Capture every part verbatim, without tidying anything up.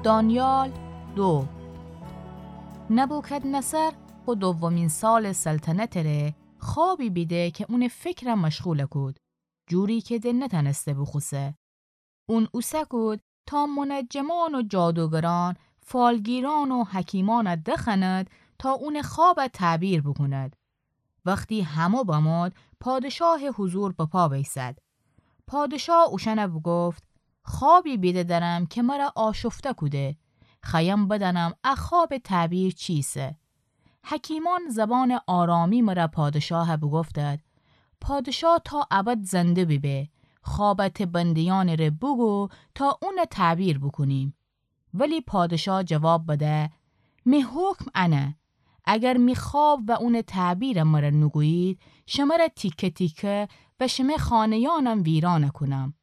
دانیال دو. نبوکدنصر خو دومین سالٚ سلطنتٚ ره خوابی بیده که اونٚ فکرَ مشغول کود، جوری که د نتأنسته بوخوسه. اون اوسه کود تا منجمان و جادوگران، فالگیران و حکیمانَ دخوأند تا اونٚ خوابَ تعبیر بوکوند. وختی همو بمود، پادشاهٚ حضور بپا بیسد. پادشاه اوشأنَ بوگفت: خوابی بیده درم که مرَ آشفته کوده. خوأیم بدأنم ا خوابٚ تعبیر چیسه. حکیمان زبانٚ آرامی مرَ پادشاهَ بوگفتد: پادشاه تا ابد زنده بیبه، خوابَ ته بندیأنٚ ره بوگو تا اونَ تعبیر بوکونیم. ولی پادشاه جواب بده: می حکم انه، اگر می خواب و اونٚ تعبیرَ مرَ نوگویید، شمرَ تیکه تیکه و شمه خانه‌یأنم ویرانَ کونم.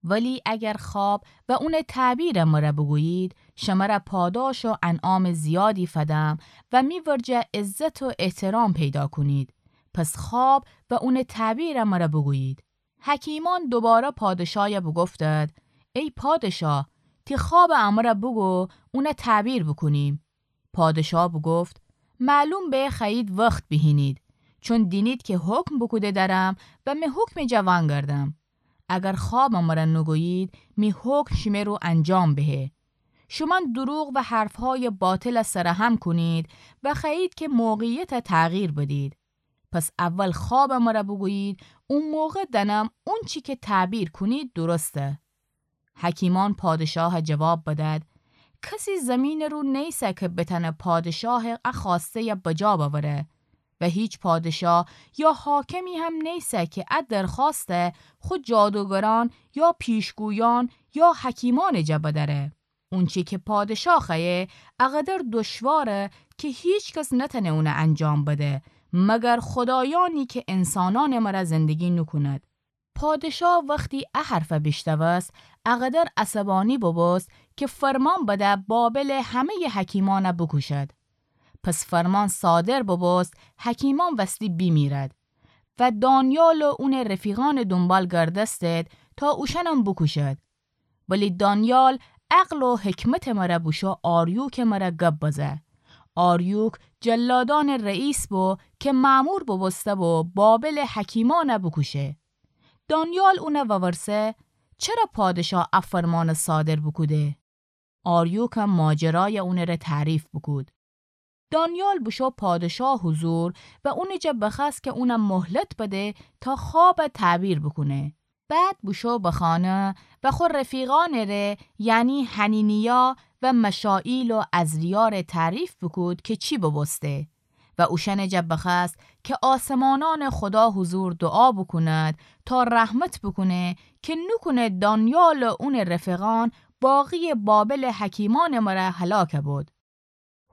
ولی اگر خواب و اونٚ تعبیرَ مرَ بوگویید، شمرَ پاداش و انعامٚ زیادی فدم و می ورجه عزت و احترام پیدا کونید. پس خواب و اونٚ تعبیرَ مرَ بوگویید. حکیمان دوباره پادشایَ بوگفتد: ای پادشاه، تی خوابَ امرَ بوگو، اونَ تعبیر بوکونیم. پادشاه بوگفت: معلوم به خوأیید وخت بیهینید، چون دینید که حکم بوکوده درم و می حکمٚ جا وأنگردم. اگر خوابَ مرَ نوگویید، می حکم شمه رو انجام بهه. شومأن دروغ و حرفهای باطلَ سرهم کونید و خوأیید که موقعیتَ تغییر بدید. پس اول خوابَ مرَ بوگویید، او موقع دأنم اونچی که تعبیر کونید درسته. حکیمان پادشاهَ جواب بدد: کسی زیمینٚ رو نیسه که بتأنه پادشاهٚ ا خوأسته‌یَ بجا بأوره و هیچ پادشاه یا حاکمی هم نیسه که ا درخوأستَ خو جادوگرأن یا پیشگویأن یا حکیمأنٚ جا بدأره. اونچی که پادشاه خوأیه اقدر دشواره که هیچ کس نتأنه اونَ انجام بده، مگر خدایأنی که انسانأنٚ مرَ زندگی نوکوند. پادشاه وختی ا حرفَ بیشنوست، اقدر عصبأنی بوبوست که فرمان بده بابلٚ همه‌یٚ حکیمأنَ بوکوشد. پس فرمان صادر بوبوست حکیمأن وستی بیمیرد و دانیال و اونٚ رفیقأنٚ دونبال گردستد تا اوشأنم بوکوشد. ولی دانیال عقل و حکمتٚ مرَ بوشو آریوکٚ مرَ گب بزه. آریوک جلادأنٚ رئیس بو که مأمور بوبوسته بو بابلٚ حکیمأنَ بوکوشه. دانیال اونَ وورسه: چره پادشاه ا فرمانَ صادر بوکوده؟ آریوکم ماجرایَ اونٚ ره تعریف بوکود. دانیال بوشو پادشاه حضور و اونٚ جا بخوأست که اونَ مهلت بده تا خوابَ تعبیر بوکونه. بعد بوشو به خانه و خو رفیقأنٚ ره، یعنی حننیا و مشائیل و عزریا ره تعریف بوکود که چی بوبوسته. و اوشأنٚ جا بخوأست که آسمانأنٚ خودا حضور دوعا بوکوند تا رحمت بوکونه که نوکونه دانیال و اونٚ رفیقأن باقیٚ بابلٚ حکیمأنٚ مرَ هلاک بود.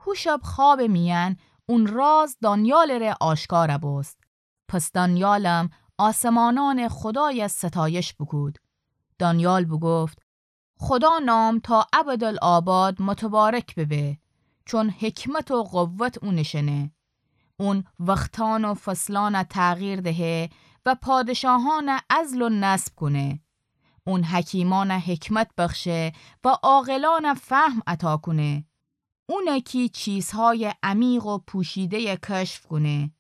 هو شب خوابٚ میأن اون راز دانیالٚ ره آشکار بوست. پس دانیالم آسمانأنٚ خودایَ ستایش بوکود. دانیال بوگفت: خودا نام تا ابدالآباد متبارک ببه، چون حکمت و قوت اونٚ شنه. اون وختأن و فصلأنَ تغییر دهه و پادشاهأنَ عزل و نصب کونه. اون حکیمأنَ حکمت بخشه و عاقلأنَ فهم عطا کونه. اونه کی چیزهایٚ عمیق و پوشیده‌یَ کشف کونه.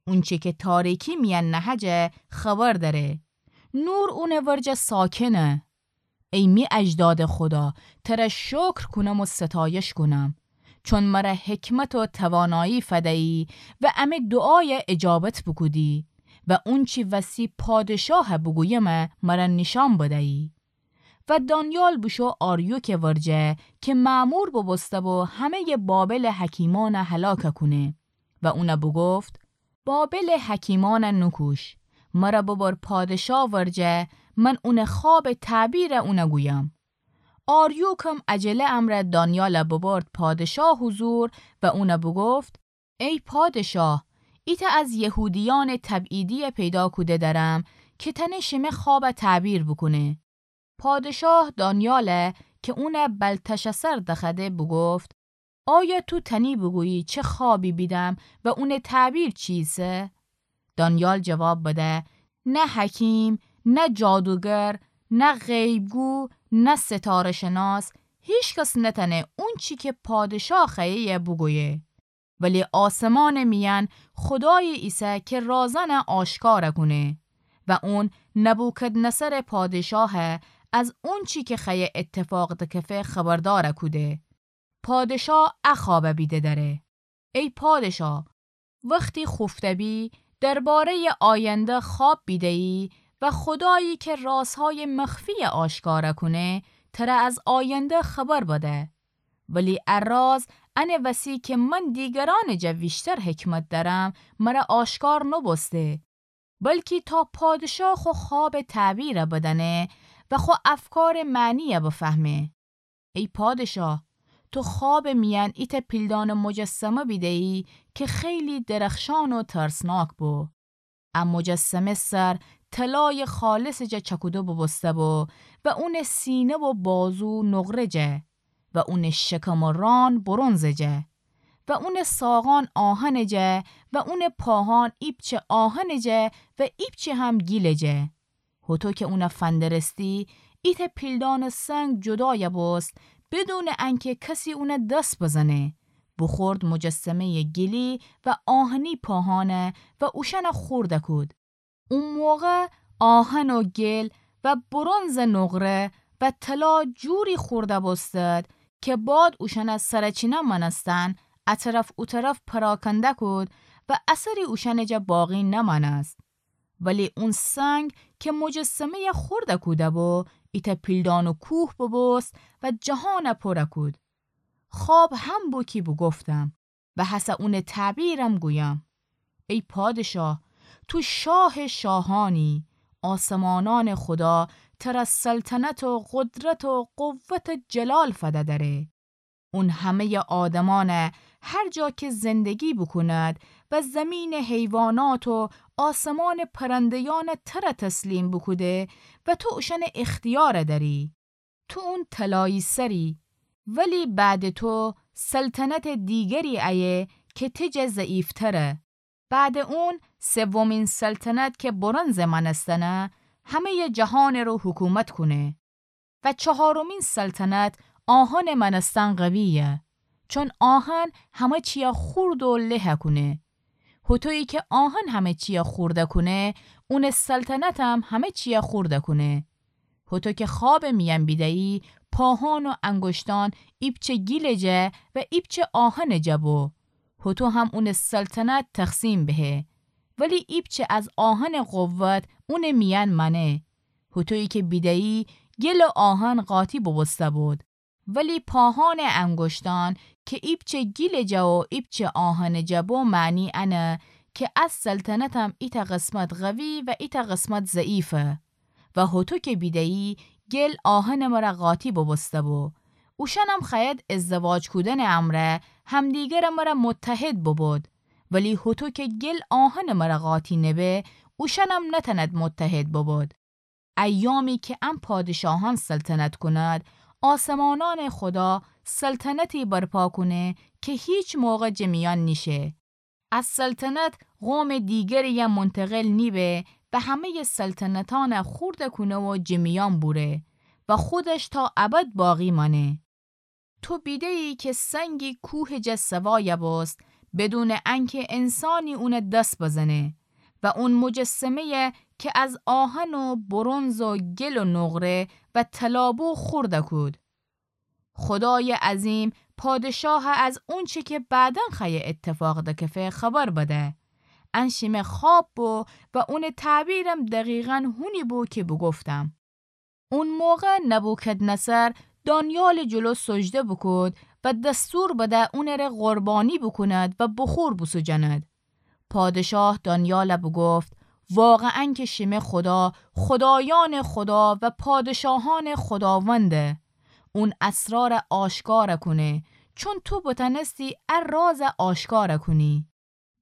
اونچه که تاریکی میأن نهه جا خبر دأره. نور اونٚ ورجه ساکنه. ای می اجدادٚ خودا، تره شکر کونم و ستایش کونم، چون مره حکمت و توانایی فدیی و امی دوعایَ اجابت بوکودی و اونچی وستی پادشاهَ بوگویمه مره نیشأن بدیی. و دانیال بوشو آریوکٚ ورجه که مأمور بوبوسته بو همه‌یٚ بابلٚ حکیمأنَ هلاک کونه و اونَ بوگفت: بابلٚ حکیمأنَ نوکوش، مره ببر پادشاه ورجه، من اونٚ خوابٚ تعبیرَ اونَ گویم. آریوکم عجله امرأ دانیالَ ببرد پادشاه حضور و اونَ بوگفت: ای پادشاه، ایتأ از یهودیأنٚ تبعیدی‌یَ پیدا کوده دأرم که تأنه شمه خوابَ تعبیر بوکونه. پادشاه دانیالَ که اونَ بلتشاثر دخوأده بوگفت: آیا تو تأنی بوگویی چه خوابی بیدم و اونٚ تعبیر چیسه؟ دانیال جواب بده: نه حکیم، نه جادوگر، نه غیب‌گو، نه ستاره‌شناس، هیکس نتأنه اونچی کی پادشاه خوأیه‌یه بوگویه. ولی آسمانٚ میأن خودایی ایسه کی رازأنه آشکار کونه و اون نبوکدنضرٚ پادشاه از اونچی کی خوأیه ایتفاق دکفه خبردار کوده. پادشاه ا خوأب بیده دأره. ای پادشاه، وختی خوفته بی، درباره‌یٚ آینده خوأب بیده‌یی و خودایی کی رازهایٚ مخفییه آشکار کونه، تره از آینده خبر بده. ولی ا راز انٚ وسی کی من دیگرأنٚ جا ویشتر حکمت دأرم، مره آشکار نوبوسته، بلکی تا پادشاه خو خوأبٚ تعبیر بدأنه و خو افکارٚ معنی بفهمه. ای پادشاه، تو خوأبٚ میأن ایتأ پیلدانٚ مجسمه بیده‌یی کی خیلی درخشان و ترسناک بو. ا مجسمه سر طلایٚ خالصٚ جا چأکوده بوبوسته بو و اونٚ سینه و بازو نقره جه و اونٚ شکم و ران برنزٚ جه و اونٚ ساقأن آهنٚ جه و اونٚ پاهأن ایپچه آهنٚ جه و ایپچه هم گیلٚ جه. هوطو کی اونه فندرستی، ایتأ پیلدانٚ سنگ جودایه بوست، بدونٚ انکی کسی اونه دس بزنه. بوخورد مجسمه‌یٚ گیلی و آهنی پاهأنه و اوشأنه خورده کود. او موقع آهن و گیل و برنزٚ نقره و طلا جوری خورده بوستد کی باد اوشأنه سرچینه مأنستن ا طرف او طرف پراکنده کود و اثری اوشأنٚ جا باقی نمأنست. ولی اون سنگ کی مجسمه‌یه خورده کوده بو، ایتأ پیلدانٚ کوه بوبوست و جهانه پوره کود. خوأب هم بو کی بوگفتم و هسه اونٚ تعبیرم گویم. ای پادشاه، تو شاهٚ شاهأنی، آسمانأنٚ خودا تره سلطنت و قدرت و قوت و جلال فده دأره. اون همه‌یٚ آدمأنه هر جا کی زندگی بوکوند و زیمینٚ حیوانات و آسمانٚ پرنده‌یأنه تره تسلیم بوکوده و تو اوشأنٚ اختیار دأری. تو اون طلایی سری، ولی بعدٚ تو سلطنتٚ دیگری ایه کی تی جا ضعیفتره. بعدٚ اون سومین سلطنت کی برنزٚ مأنستنه، همه‌یٚ جهانٚ رو حکومت کونه. و چهارمین سلطنت آهنٚ مأنستن قوییه، چون آهن همه چییه خورد و له کونه. هوطویی کی آهن همه چییه خورده کونه، اونٚ سلطنتم همه چییه خورده کونه. هوطو کی خوأبٚ میأن بیده‌یی، پاهان و انگشتأن ایپچه گیلٚ جه و ایپچه آهنٚ جه بو. هوطو هم اونٚ سلطنت تقسیم بهه. ولی ایپچه از آهنٚ قوت اونٚ میأن مأنه. هوطویی کی بیده‌یی، گیل و آهن قاطی بوبوسته بود. ولی پاهانٚ انگشتأن کی ایپچه گیلٚ جه و ایپچه آهنٚ جه بو، معنی انه کی ا سلطنتم ایتأ قسمت قوی و ایتأ قسمت ضعیفه. و هوطو کی بیده‌یی، گیل آهنٚ مره قاطی بوبوسته بو. اوشأنم خوأید ازدواج کودنٚ امرأ همدیگرٚ مره متحد ببود. ولی هوطو کی گیل آهنٚ مره قاطی نبه، اوشأنم نتأند متحد ببود. ایامی کی ا پادشاهأن سلطنت کونید، آسمانأنٚ خودا سلطنتی برپا کونه کی هیچ موقع جٚ میأن نیشه. ا سلطنت قومٚ دیگریی منتقل نیبه و همه‌یٚ سلطنتأنه خورد کونه و جٚ میأن بوره و خودش تا ابد باقی مأنه. تو بیده‌یی کی سنگی کوهٚ جه سوایه بوست، بدونٚ انکی انسانی اونه دس بزنه و اون مجسمه‌یه کی از آهن و برنز و گل و نقره و طلا بو خورد کود. خودایٚ عظیم پادشاه از اونچه کی بعداً خوأیه ایتفاق دکفه خبر بده. ان شیمه خوأب بو و اونٚ تعبیرم دقیقاً هونی بو کی بوگفتم. اون موقع نبوکدنضر دانیالٚ جلو سجده بوکود و دستور بده اونٚره قربانی بوکوند و بخور بوسوجاند. پادشاه دانیال بوگفت: واقعاً کی شیمه خودا خودایأنٚ خودا و پادشاهأنٚ خوداونده. اون اسرار آشکار کونه، چون تو بتأنستی ا راز آشکار کونی.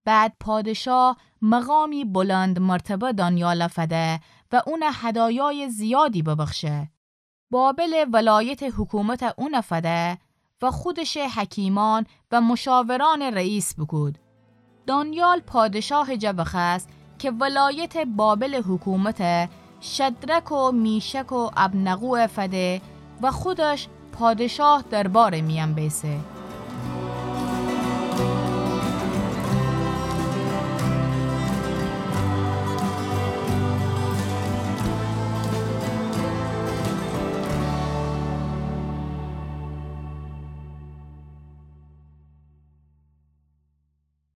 بعد پادشاه مقامی بلندمرتبه دانیال فده و اون هدایایٚ زیادی ببخشه. بابلٚ ولایتٚ حکومت اون فده و خودشٚ حکیمأن و مشاورأنٚ رئیس بوکود. دانیال پادشاهٚ جا بخوأست کی ولایتٚ بابلٚ حکومت شدرک و میشک و ابدنگو فده و خودش پادشاه دربارٚ میأن بیسه.